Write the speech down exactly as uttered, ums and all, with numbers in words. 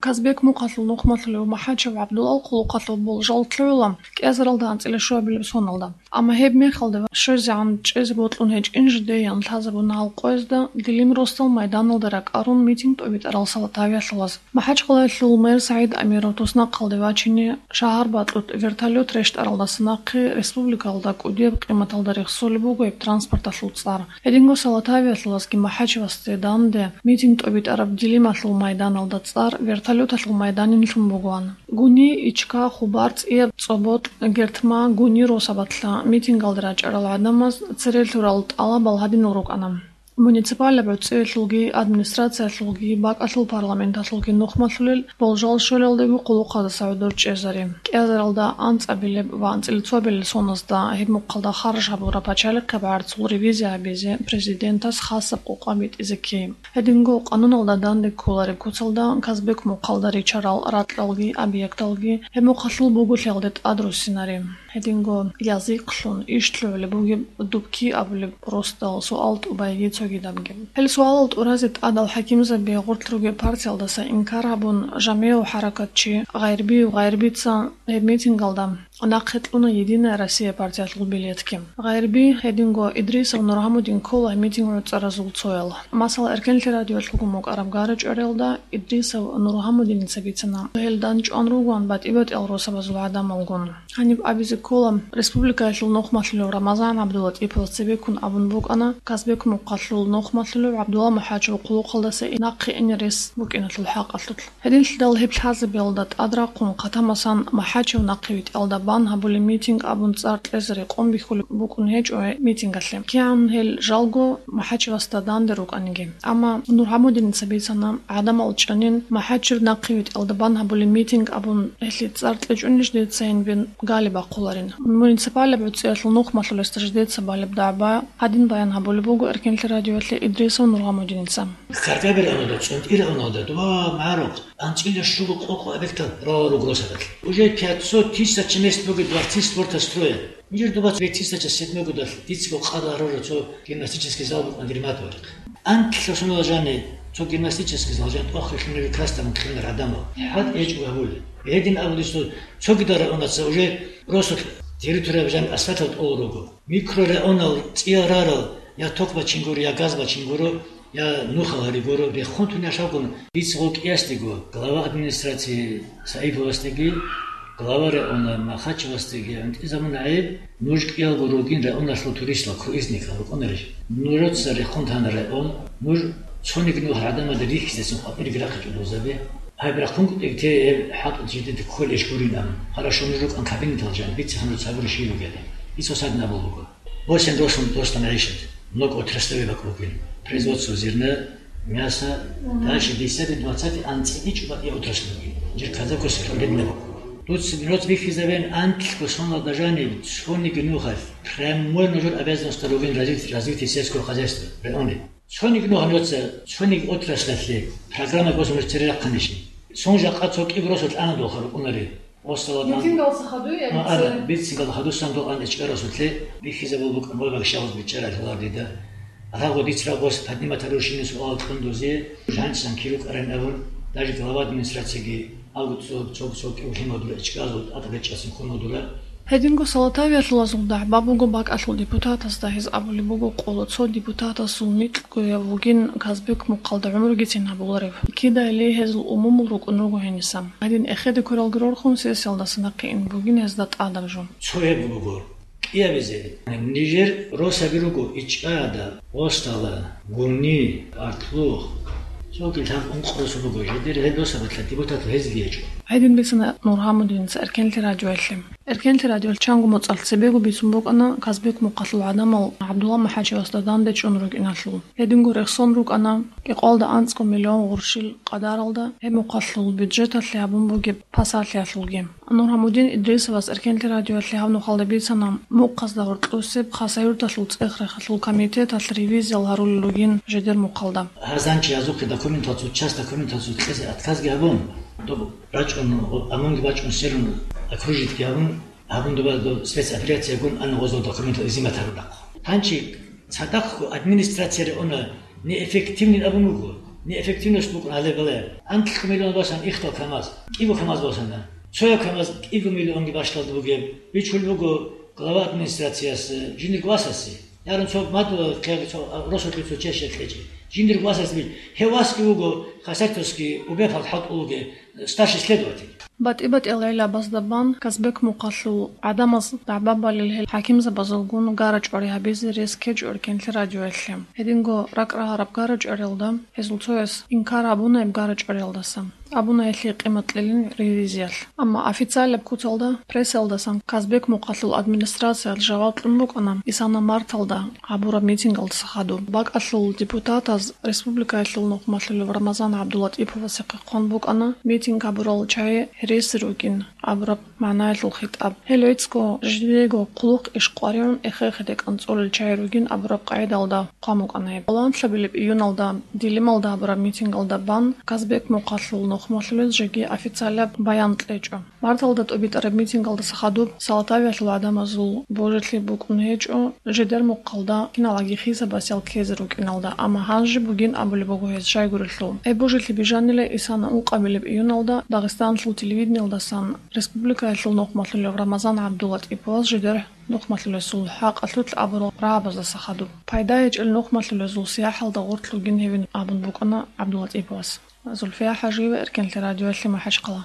Казбек мухъалъул нухмалъулев МахӀачев ГӀабдулал хъулухъалъул болжал лъугӀула кӀиазаралда анцӀила щуабилеб соналда. Амма гьеб мехалда щвезегӀан чӀезе бокьун гьечӀин жидеян лъазабуна гьал къоязда Дилим росдал майданалда ракӀарун митинг тӀобитӀарал Салатавиялъулаз. МахӀачкъалаялъул мэр СагӀид Амиров туснахъалде вачине шагьар бакьулъ вертолет рещтӀаралдаса нахъе республикалда кӀудияб къиматалда рехсолеб буго гьеб транспорталъул цӀар. Гьединго Салатавиялъулазги МахӀачевасде данде митинг тӀобитӀараб Дилималъул майданалда цӀар вертолеталъул майданин лъун бугоан. Гуни, Ичка, Хубар, ЦӀияб, ЦӀоботӀ, Гертма, Гуни росабалъа митингалде рачӀарал гӀадамаз цере лъурал тӀалабал гьадинал рукӀана: муниципалаб гӀуцӀиялъулги, администрациялъулги, бакӀалъул парламенталъулги нухмалъулел болжал щвелалдего хъулухъаздаса гӀодор чӀезари, кӀиазаралда анцӀабилеб ва анцӀила цоабилел соназда гьеб мухъалда харж гьабураб пачалихъеб гӀарцул ревизия гьабизе президентас хасаб къокъа битӀизе ккей. Гьединго къануналда данде кколареб куцалда Казбек мухъалда ричарал ракьалги объекталги гьеб мухъалъул буголъиялде тӀад руссинари. Гьединго язихълъун иш лъугӀулеб бугеб дубки абулеб росдал суал тӀубайги цогидабги. Гьел суалал тӀуразе тӀадал хӀакимзаби гъорлъ ругеб партиялдаса инкар гьабун, жамигӀав хӀаракатчи Гъайрбиев Гъайрбица гьеб митингалда нахъе кьуна «Единая Россия» партиялъул билетги. Гъайрби, гьединго Идрисов Нургьамудин ккола митинг гӀуцӀаразул цоял. Масала, Эркенлъи радиоялъулгун букӀараб гара-чӀвариялда Идрисов Нургьамудиница бицана, гьел дандчӀван ругоан батӀи-батӀиял росабазул гӀадамалгун. Гьаниб абизе ккола, республикаялъул нухмалъулев Рамазан ГӀабдулатӀиповас цебеккун абун букӀана, Казбек мухъалъул нухмалъулев ГӀабдулла МахӀачев хъулухъалдаса нахъе ине рес букӀиналъул хӀакъалъулъ. Гьединлъидал гьеб лъазабиялда тӀад рахъун, хъатамасан МахӀачев нахъе витӀиялда бан гьабулеб митинг абун цӀар кьезе рекъон бихьулеб букӀун гьечӀо гьеб митингалъе, кигӀан гьел жалго МахӀачевасда данде рукӀаниги. Амма Нургьамудиница бицана, гӀадамал чӀанин МахӀачев нахъе витӀиялда бан гьабулеб митинг абун, гьелъие цӀар кьечӀунищ децайин бен гали бахъуларин. Муниципалаб гӀуцӀиялъул нухмалъулесда жидеца балеб дагӀба гьадин баян гьабулеб буго Эркенлъи радиоялъе Идрисов Нургьамудиница. Каргабир авалда, цӀунтӀир авалда, дуба, магӀарухъ, анцӀила щуго къокъо объектал рала ругросарал. Уже пятьсот тысяч мест буго дворцы спорта строят. Мижер дуба две тысячи седьмой годалъ дицаго къарар гьарурав цо гимнастический зал букӀана Дерматовалихъ. Анкьлъа шунала жани цо гимнастический зал жан тӀохе лъунеги красдамун кьунар гӀадамал. ХӀад гьечӀо гьабули. Гьедин абулесул цогидал районаца уже росулъ территория жан асфальтал тӀоло руго. Микрорайонал цӀиял рарал я ток бачин гуро, я газ бачин гуро, я нухал гьари гуро, рехун тун яшавгун, дица гъов кӀиясдего, глава администрации Саиповасдеги, глава района Махачевасдеги гӀунтӀизабун гӀеб, нуж кӀиялго ругин районалъул туристал круизникал рукӀунарищ? Нужеца рехун тана район, нуж цониги нух гӀадамазда рихьизесун къватӀиреги рахъичӀо дозаби. Гьаб рахъун кӀутӀиг те гьеб хӀатӀ жидеда кколищ гурин абун. Хорошо, нуж рукӀан кабинетал жан, бице гьанур цабур щиб бугелъул. Исо саднабул буго. Восемь росун достан гӀишат, много отраслевый вокруг. Производство зерна, мяса, дальше десятый, двадцатый анцӀила чӀуба я отрасль бугин. Жир казакос хӀурбедна бакӀ. Дуц роц бихьизабен анкьго сонал дажани цониги нухалъ прямой нужер обязанность ругин развитие, развитие сельского хозяйства районе. Цониги нух нужеца, цониги отраслалъе программа государственного цере рахъанищ? Сон жакъа цо кӀиб росулъ ана дохъа рукӀунари. Остала дан- Митингалса хадуй, я А, ана, бице? Митингал хадусан дол ан ичкъарасулъе бихьизабул букӀан ва багшалъ бичӀчӀарал гьалар дида. Рагъу диц рагъос поднимать гьарурщинин суал кьун дозе, жанчсан киру кӀаран абун, даже глава администрацияги Алгу цо, цо, цо кӀиулъимал дура ичкӀазул тӀатӀа бечӀасин хунал дура. Гьединго Салатавиялъулазул дагӀба буго бакӀалъул депутатасда, гьез абулеб буго къоло цо депутатасул микьгояв вугин Казбек мухъалда гӀумругицин гьабуларев. Кидайли гьезул умумул рукӀун руго гьениса. Гьедин эхеде квералги рорхун сессиялдаса нахъе ин бугин гьезда тӀадаб жо. Цо гьеб буго. КӀиабизе, нижер росаби руго ИчӀада, Остала, Гуни, Артлух. Цоги лъаб ункъ росу буго, жидер гьеб росабалъа депутат гьезги гьечӀо. Гьедин бицана Нургьамудиница Эркенлъи радиоялъе. Эркенлъи радиоялъ чанго моцӀалъ цебего бицун букӀана Казбек мухъалъул гӀадамал ГӀабдулла МахӀачевасда данде чӀун рукӀиналъул. Гьединго рехсон рукӀана кӀикъоялда анцӀго миллион гъурщил къадаралда гьеб мухъалъул бюджеталъе гьабун бугеб пасалъиялъулги. Нургьамудин Идрисовас Эркенлъи радиоялъе гьаб нухалда бицана, мухъазда гьоркьосеб Хасавюрталъул цӀех-рехалъул комитеталъ ревизиял гьарулел ругин жидер мухъалда. Гьазанчи гьазухъе документацу, часть документацу кьезе отказги гьабун, доб рачӀун, амунги бачӀун серун окружитьги гьабун, гьабун доба до спецоперациягун ана гъозул документал изимат гьарурахъ. Гьанчи цадахъго администрацияре она неэффективный абун вуго. Неэффективность букӀун гьале бале. Анлъго миллион басан ихтал КамАЗ, кӀиго КамАЗ босана. Цояб КамАЗ кӀиго миллионги бащдалда бугеб. Бичулеб буго глава администрацияс, жиндирго васасе. Ярун цо мадула кьеги цо, а, росулъе цо чешек кьечӀи. Жиндирго васасе бич. Гьев васги вуго, хасатьвасги убефал хӀалтӀулуге, старший следователь. БатӀи-батӀиял гӀелабазда бан Казбек мухъалъул гӀадамаз дагӀба балел гьел хӀакимзабазулгун гарачӀвари гьабизе рес ккечӀо Эркенлъи радиоялъе. Гьединго ракӀ рагьараб гарачӀваралда гьезул цояс инкар гьабунаиб гарачӀваралдаса. Абуна гьелъие къимат кьелин ревизиялъ. Амма официалаб куцалда прессаялдасан Казбек мухъалъул администрациялъ жаваб кьун букӀана Исана марталда гьабураб митингалдаса хадуб. БакӀалъул депутатаз республикаялъул нухмалъулев Рамазан ГӀабдулатӀиповасехъе хъван букӀана митинг гьабурал чагӀи гьереси рукӀин абураб магӀнаялъул хитӀаб. Гьел гӀицӀго жидеего хъулухъ иш къваригӀун эхе-эхеде кӀанцӀолел чагӀи ругин абураб къагӀидалда хъван букӀана гьеб. Гьаланлъабилеб июналда Дилималда гьабураб митингалда бан Казбек мухъалъул нухмалъулез жеги официалаб баян кьечӀо. Марталда тӀубитӀараб митингалдаса хадуб Салатавиялъул гӀадамазул божилъи букӀун гьечӀо, жидер мухъалда киналаги хисабасел ккезе рукӀиналда, амма гьанже бугин абулеб буго гьез щайгурелъул. Гьеб божилъи бижанила Исана ункъабилеб июналда Дагъистаналъул телевидениялдасан республикаялъул нухмалъулев Рамазан ГӀабдулатӀиповас жидер нухмалъулесул хӀакъалъулъ абурал рагӀабаздаса хадуб. Пайда гьечӀел нухмалъулезул сияхӀалда гъорлъ ругин гьевин абун букӀана ГӀабдулатӀиповас. Зульфия ХӀажиева, Эркенлъи радиоялъе, МахӀачхъала.